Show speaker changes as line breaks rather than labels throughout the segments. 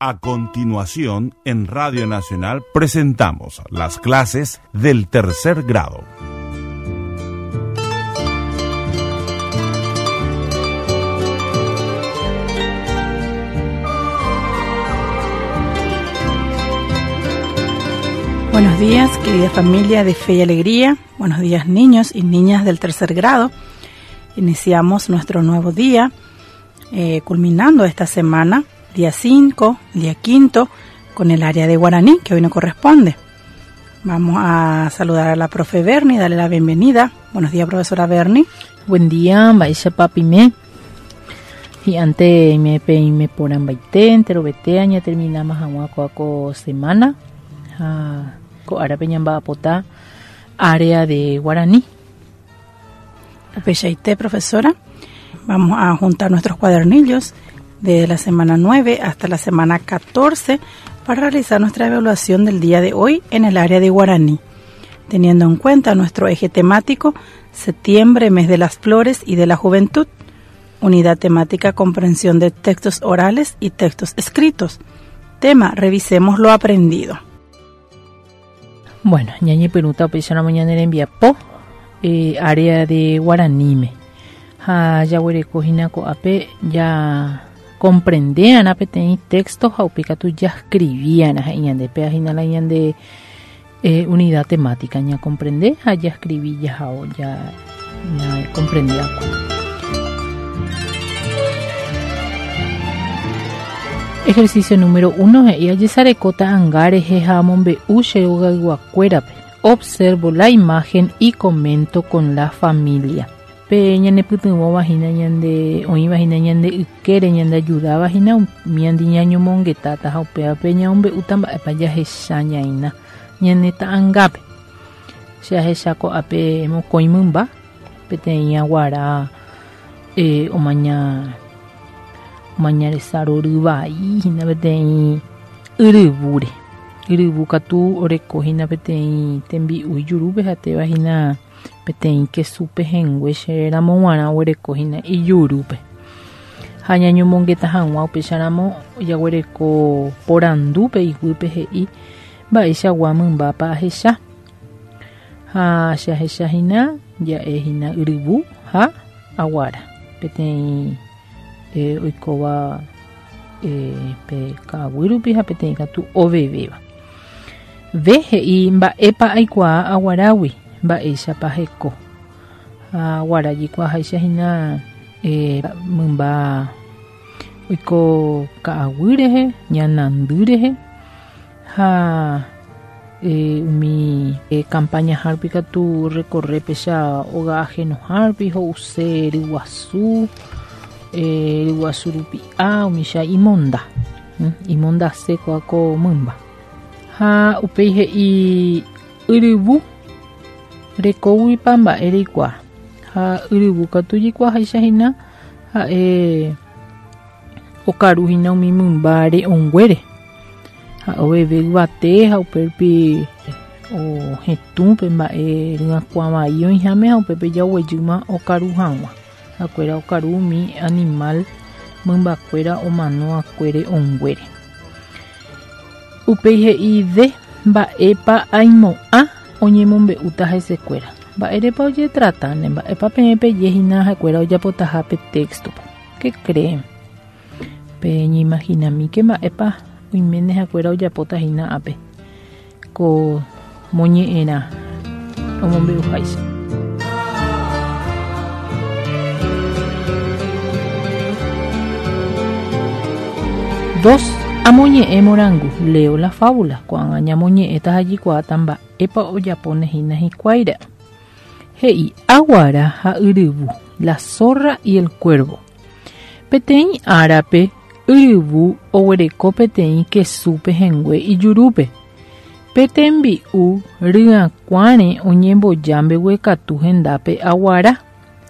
A continuación, en Radio Nacional presentamos las clases del tercer grado.
Buenos días, querida familia de Fe y Alegría. Buenos días, niños y niñas del tercer grado. Iniciamos nuestro nuevo día, culminando esta semana, día 5, día quinto, con el área de guaraní, que hoy no corresponde. Vamos a saludar a la profe Bernie, darle la bienvenida. Buenos días, profesora Bernie.
Buen día, mba'éicha papime. Y ante me peime por ambaite, entero vete, ya terminamos hag̃ua kóa ko semana. Ha ko árape ñamba'apóta área de guaraní.
Upeichaite, profesora. Vamos a juntar nuestros cuadernillos de la semana 9 hasta la semana 14 para realizar nuestra evaluación del día de hoy en el área de guaraní, teniendo en cuenta nuestro eje temático, septiembre, mes de las flores y de la juventud, unidad temática, comprensión de textos orales y textos escritos. Tema, revisemos lo aprendido.
Bueno, ñañepyrũta upéicharamo ñane rembiapo, área de guaraníme. Ha jaguereko hína ko'ápe ja comprende'arã peteĩ texto ha upe katu jascribi'arã he'i ñande, péva hína la ñande unidad temática, ñacomprende ha jascribi jahao ja ñacomprende va'ekue. Ejercicio número 1 he'i ajesareko ta'anga rehe ha amombe'u che rogayguakuérape. Observo la imagen y comento con la familia. Pe ñanepytyvõva hína ñande oĩva hína ñande ykére ñande ayudáva hína umi andi ñañomongetáta ha upévape ñamombe'úta mba'épa jahecha ñaína ñane ta'angápe. Che ahecha ko'ápe mokõi mymba peteĩ aguara omaña omaña resa rory vai hína peteĩ yryvúre. Yryvu katu oreko hína peteĩ tembi'u ijurúpe ha téva hína peteĩ kesu pehẽngue che ramo g̃uarã oguereko hína ijurúpe. Ha ñañomongeta hag̃ua upéicharamo jaguereko porandúpe iguýpe he'i mba'eichagua mymbápa ahecha. Ha che ahecha hína ja'e hína yryvu ha aguara peteĩ oikóva pe ka'aguy rupi ha peteĩ katu ovevéva. V he'i mba'épa aikuaa aguarágui, mba'éichapa heko. Ha aguara jaikuaaháicha hína mymba oiko ka'aguy rehe, ñanandy rehe ha umi campaña rupi katu recorre péicha óga ajenoha rupi ho'use ryguasu, ryguasu rupi'a umícha imonda, imondase kóa ko mymba. Ha upéi he'i yryvu rekóguipa mba'e reikuaa. Ha yryvu katu jaikuaaháicha hína ha'e okaru hína umi mymba re'õnguére. Ha oveve yvate ha upérupi ohetũ pe mba'e ryakuã vai oĩháme ha upépe jaguejýma okaru hag̃ua. Ha'ekuéra okaru umi animal mymbakuéra omano'akue re'õnguére. Upéi he'i de mba'épa aimo'ã oñemombe'úta hesekuéra. Mba'érepa ojetratáne, mba'épa peẽ peje hína ha'ekuéra ojapotaha pe texto-pe. Qué creen? Peñeimaginamíke mba'épa oiméne ha'ekuéra ojapóta hína ápe ko moñe'ẽrã omombe'uháicha. Dos, amoñe'ẽ morangu, leo la fábula, ko'ág̃a ñamoñe'ẽta ha jaikuaáta mba'épa ojapóne hína hikuáire. He'i aguara ha yryvu, la zorra y el cuervo. Peteĩ árape yryvu oguereko peteĩ kesu pehẽngue ijurúpe. Pe tembi'u ryakuãre oñemboja mbeguekatu hendápe aguara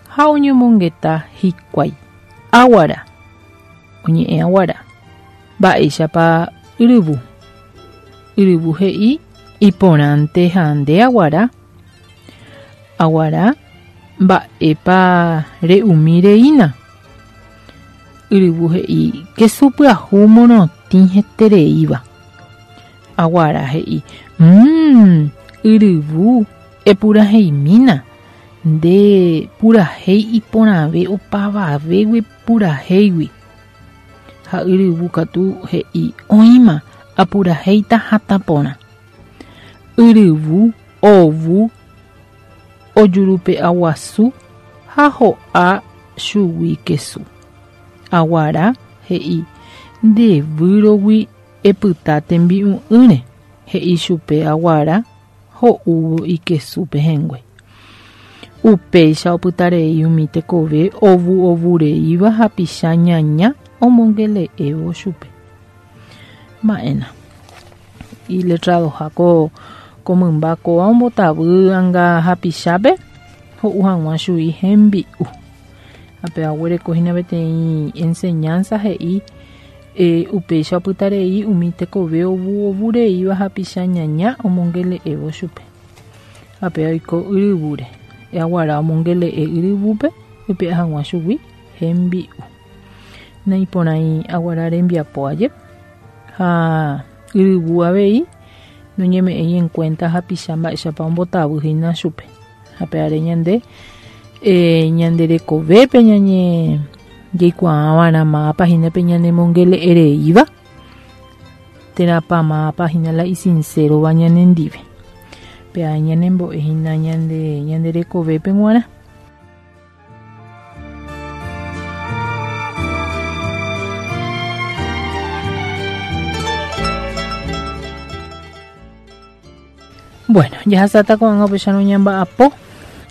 ha oñomongeta hikuái. Aguara. Oñe'ẽ aguara. Mba'éichapa yryvu. Yryvu he'i iporãnte ha nde aguara. Aguara mba'épa re'umi reína. Yryvu he'i kesu pyahu morotĩ. Itĩ hetereíva. Aguara he'i, Mmm, yryvu, epuraheimína. Nde purahéi iporãve opavavégui purahéigui. Ha yryvu katu he'i, Oĩma, apurahéita hatã porã. Yryvu, ovu, ojurupe'a guasu ha ho'a chugui kesu. Aguara he'i, Nde výrogui epyta tembi'u'ỹre, he'i chupe Aguara ho'úvo ikesu pehẽngue. Upéicha opytarei umi tekove ovu'ovureíva hapicha ñaña omongele'évo chupe. Mba'éna. Iletradoha ko ko mymba kóva ombotavy anga hapichápe ho'u hag̃ua chui hembi'u. Ha péva oguereko hína peteĩ enseñanza he'i e, upéicha opytarei umi tekove ovu'ovureíva hapicha ñaña omongele'évo chupe. Ha péva oiko yryvúre. Aguara omongele'e yryvúpe oipe'a hag̃ua chugui hembi'u. Naiporãi aguara rembiapo aje ha yryvu avei noñeme'ẽi en cuenta hapicha mba'éichapa ombotavy hína chupe. Ha peare ñande eh, ñande rekovépe ñañe jaikuaava'erã mávapa hína pe ñanemongele'ereíva térãpa mávapa hína la isinsérova ñanendive. Péva ñanembo'e hína ñande ñande rekovépe g̃uarã. Bueno, jahasáta ko'ág̃a upéicharõ ñamba'apo.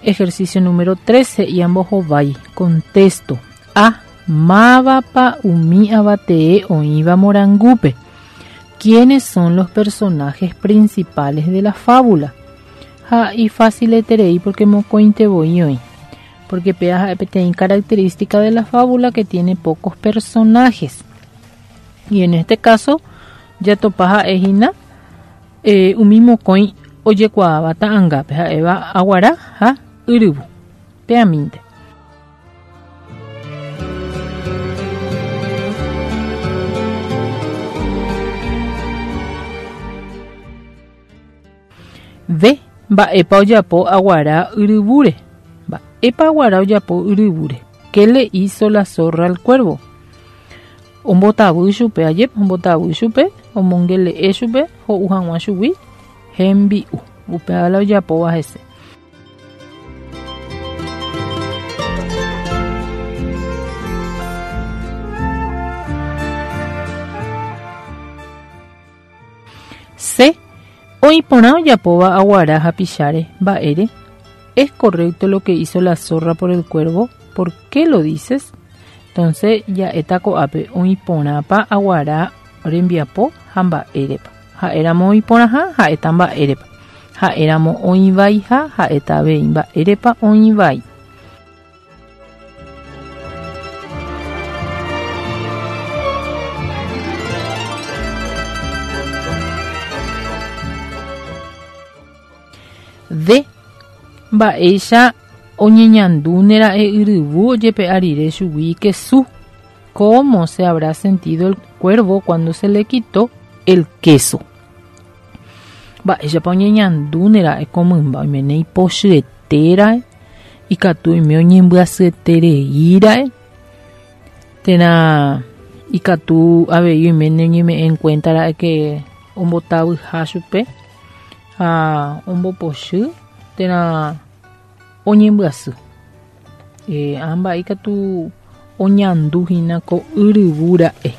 Ejercicio número 3 he'i ambohovái. Contesto. A. Mávapa umi avatee oĩva morangúpe? ¿Quiénes son los personajes principales de la fábula? Ha ifácileterei porque mokõinte voi oĩ. Porque péva ha'e peteĩ característica de la fábula que tiene pocos personajes. Y en este caso, jatopa ha'e hína eh, umi mokõi ojekuaáva ta'angápe ha'éva aguara ha yryvu. Peamínte. V. Mba'épa ojapo aguara yryvúre. Mba'épa aguara ojapo yryvúre. ¿Qué le hizo la zorra al cuervo? Ombotavy chupe, ajépa ombotavy chupe, omongele'e chupe ho'u hag̃ua chugui hembi'u. Upéva la ojapóva hese. C. Oĩ porã ojapóva aguara hapicháre, mba'ére? Es correcto lo que hizo la zorra por el cuervo? Por qué lo dices? Entonces ja'éta ko'ápe oĩ porãpa aguara rembiapo ha mba'érepa. Ha'éramo oĩ porãha, ha'éta mba'érepa. Ha'éramo oĩ vaiha, ha'éta avei mba'érepa oĩ vai. D. Mba'éicha oñeñandúnera'e yryvu ojepe'a rire chugui ikesu? ¿Cómo se habrá sentido el cuervo cuando se le quitó el queso? Mba'éichapa oñeñandúnera'e ko mymba oiméne ipochyetéra'e, ikatu oime oñembyasyetereíra'e, térã ikatu avei oiméne oñeme'ẽ en cuenta ra'e que ombotavyha chupe ha ombopochy térã oñembyasy. Eh, ã mba'e ikatu oñandu hína ko yryvu ra'e.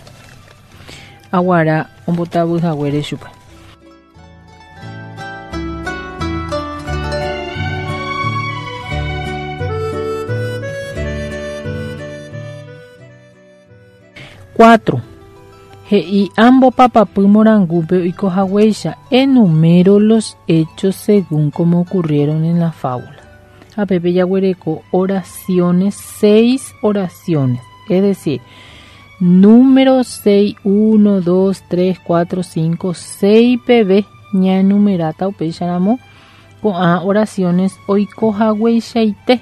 Aguara ombotavy haguére chupe. Cuatro. He'i ambopapapy morangúpe oiko haguéicha, Enumero los hechos según como ocurrieron en la fábula. Ha pépe jaguereko oraciones, seis oraciones. Es decir, número 6, 1, 2, 3, 4, 5, 6 peve ñaenumeráta upéicharamo ko'ã oraciones oiko hagueichaite.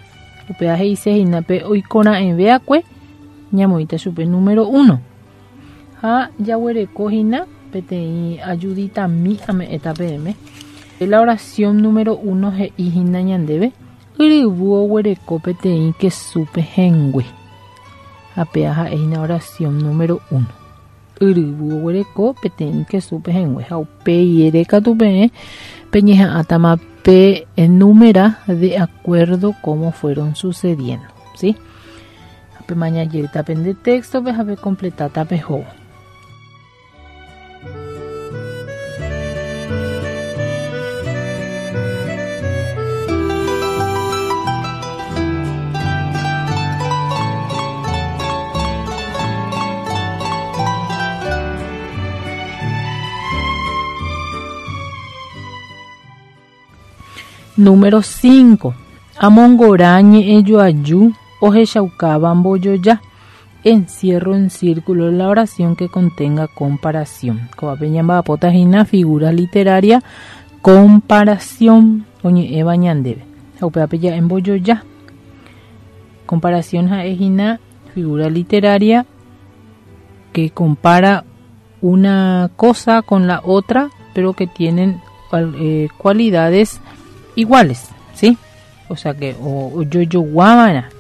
Upéva he'ise hína pe oikora'ẽve'akue ñamoĩta chupe número 1. Ha jaguereko hína peteĩ ajuditami ame'ẽta peẽme. La oración número 1 he'i hína ñandéve yryvu oguereko peteĩ kesu pehẽngue. Ha péa ha'e hína oración número 1. Yryvu oguereko peteĩ kesu pehẽngue. Ha upéi ere katu peẽ peñeha'ãtama pe enumera de acuerdo como fueron sucediendo, ¿sí? Ha pemaña jeýta pende texto-pe ha pecompletáta pehóvo. Número 5. Amongora ñe'ẽjoaju ohechaukáva mbojoja. Encierro en círculo la oración que contenga comparación. Ko'ápe ñamba'apóta hína figura literaria comparación oñe'ẽva ñandéve. Ha upévape ja'e mbojoja. Comparación ha'e hína figura literaria que compara una cosa con la otra, pero que tienen cualidades iguales, ¿sí? O sea que o ojojoguava'erã.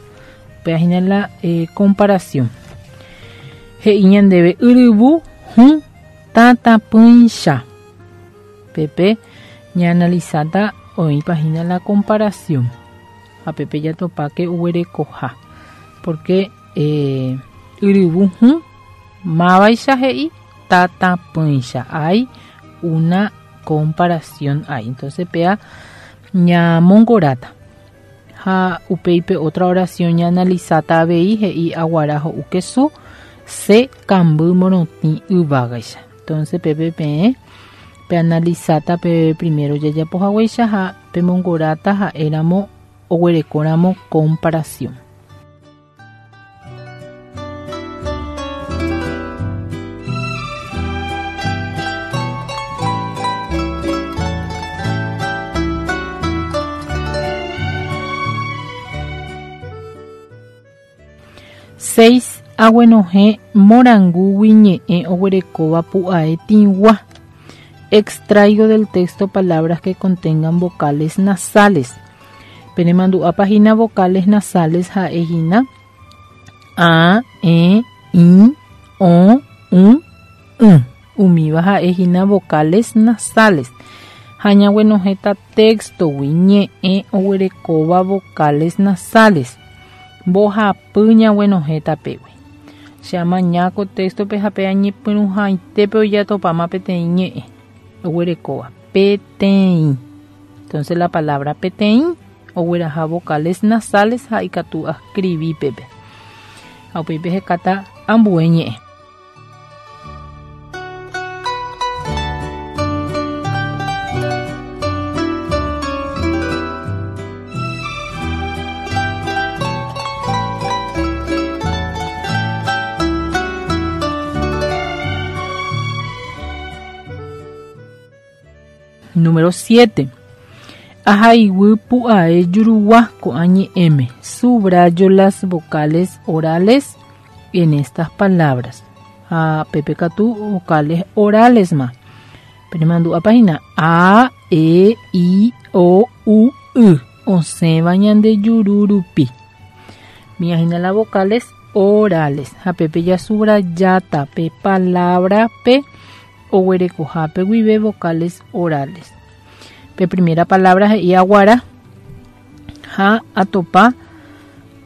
Upéva hína la comparación. He'i ñandéve yryvu hũ tatapỹicha. Pépe ñaanalisáta oĩpa hína la comparación. Ha pépe jatopáke oguerekoha. Porque yryvu hũ mávaicha he'i tatapỹicha. Hay una comparación ahí. Entonces péa ñamongoráta. Ha upéi pe otra oración ñaanalisáta avei he'i aguara ho'u kesu se kamby morotĩ yvágaicha. Entonces pépe peẽ peanalisáta pe primero jajapo haguéicha ha pemongoráta ha'éramo oguerekóramo comparación. Seis aguenohẽ morangúgui ñe'ẽ oguerekóva pu'ae tĩgua. Extraigo del texto palabras que contengan vocales nasales. Penemandu'ápa hína vocales nasales ha'e hína a, e, i, o, u, y. Umíva ha'e hína vocales nasales. Ha ñaguenohẽta texto-gui ñe'ẽ oguerekóva vocales nasales. Mbohapy ñaguenohẽta pégui. Che amaña ko texto-pe ha pe añepyrũhaitépe ojatopáma peteĩ ñe'ẽ oguerekóva peteĩ. Entonces la palabra peteĩ ogueraha vocales nasales ha ikatu ascribí pépe. Ha upéi pehekáta ambue ñe'ẽ. Número 7. Ahaiguy pu'ae jurugua ko'ã ñe'ẽme. Subrayo las vocales orales en estas palabras. Ha pépe katu vocales orales ma. Penemandu'ápa hína a, e, i, o, u, y. Osẽva ñande juru rupi. Mia hína la vocales orales. Ha pépe jasubrayáta pe palabra pe oguerekohápe guive vocales orales. Pe primera palabra he'i aguara ha atopa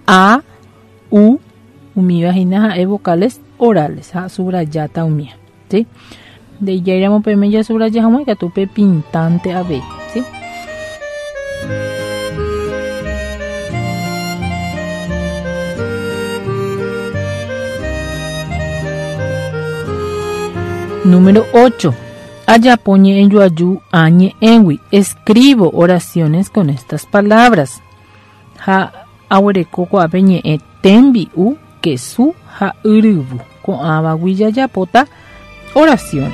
a, u, umíva hína ha'e vocales orales ha subrayáta umía, ¿sí? Nde'ijáiramo peẽme jasubraya hag̃ua ikatu pe pintante avei, ¿sí? Número 8. Ajapo ñe'ẽjoaju ã ñe'ẽgui. Escribo oraciones con estas palabras. Ha aguereko ko'ápe ñe'ẽ tembi'u, kesu ha yryvu. Ko'ãvagui jajapóta oraciones.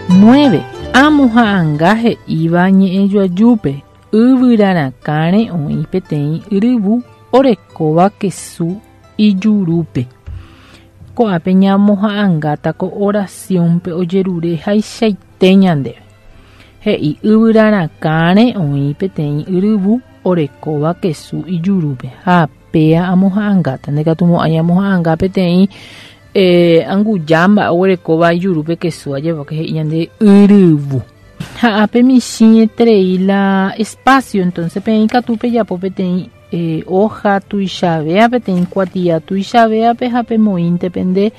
9. Amoha'anga he'íva ñe'ẽjoajúpe, Yvyra rakãre oĩ peteĩ yryvu orekóva kesu ijurúpe. Ko'ápe ñamoha'angáta ko oración-pe ojerure haichaite ñandéve. He'i yvyra rakãre oĩ peteĩ yryvu orekóva kesu ijurúpe. Ha péa amoha'angáta. Ndaikatumo'ãi amoha'anga peteĩ eh, anguja mba'e oguerekóva ijurúpe kesu ajépa que he'i ñande yryvu. Ha ápe michĩeterei la espacio, entonces peẽ ikatu pejapo peteĩ eh, hoja tuichavéa, peteĩ kuatia tuichavéape ha pemoĩnte pende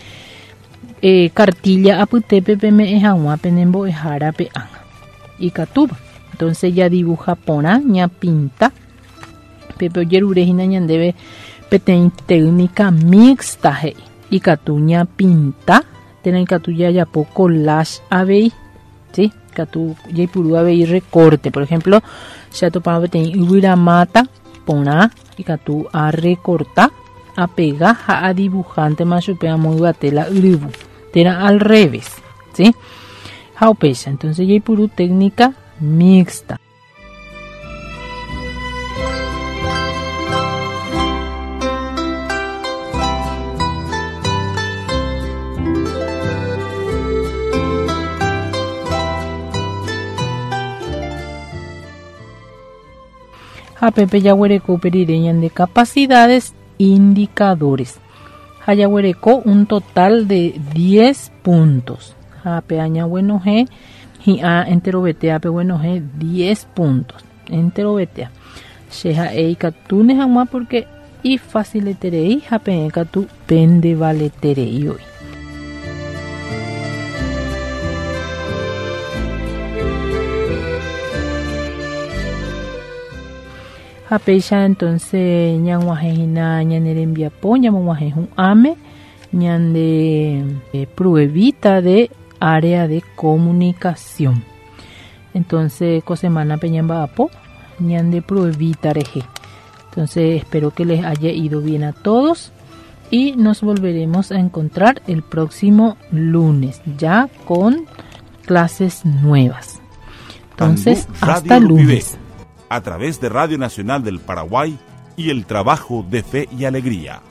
eh, cartilla apytépe peme'ẽ hag̃ua pene mbo'ehárape ág̃a. Ikatúva. Entonces jadibuja porã, ñapinta. Pépe ojerure hína ñandéve peteĩ técnica mixta he'i. Ikatu ñapinta térã ikatu jajapo collage avei. ¿Sí? Ikatu jaipuru avei recorte. Por ejemplo, che atopáma peteĩ yvyramáta porã, ikatu arecorta, apega ha adibujántema chupe amo yvate la yryvu. Térã al revés. ¿Sí? Ha upéicha. Entonces jaipuru técnica mixta. Ha pépe jaguereko upe rire ñande capacidades indicadores. Ha jaguereko un total de 10 puntos. Ha pe añaguenohẽ hi'ã enterovetéa peguenohẽ 10 puntos. Enterovetéa. Che ha'e ikatúne hag̃ua porque ifacileterei ha peẽ katu pendevaleterei voi. Ha péicha entonces ñag̃uahẽ hína ñane rembiapo, ñamog̃uahẽ hu'ãme ñande pruebita de área de comunicación. Entonces ko semana-pe ñamba'apo ñande pruebita rehe. Entonces espero que les haya ido bien a todos y nos volveremos a encontrar el próximo lunes ya con clases nuevas. Entonces,
Tandu
hasta
Radio Rupivé,
lunes.
a través de Radio Nacional del Paraguay y el trabajo de Fe y Alegría.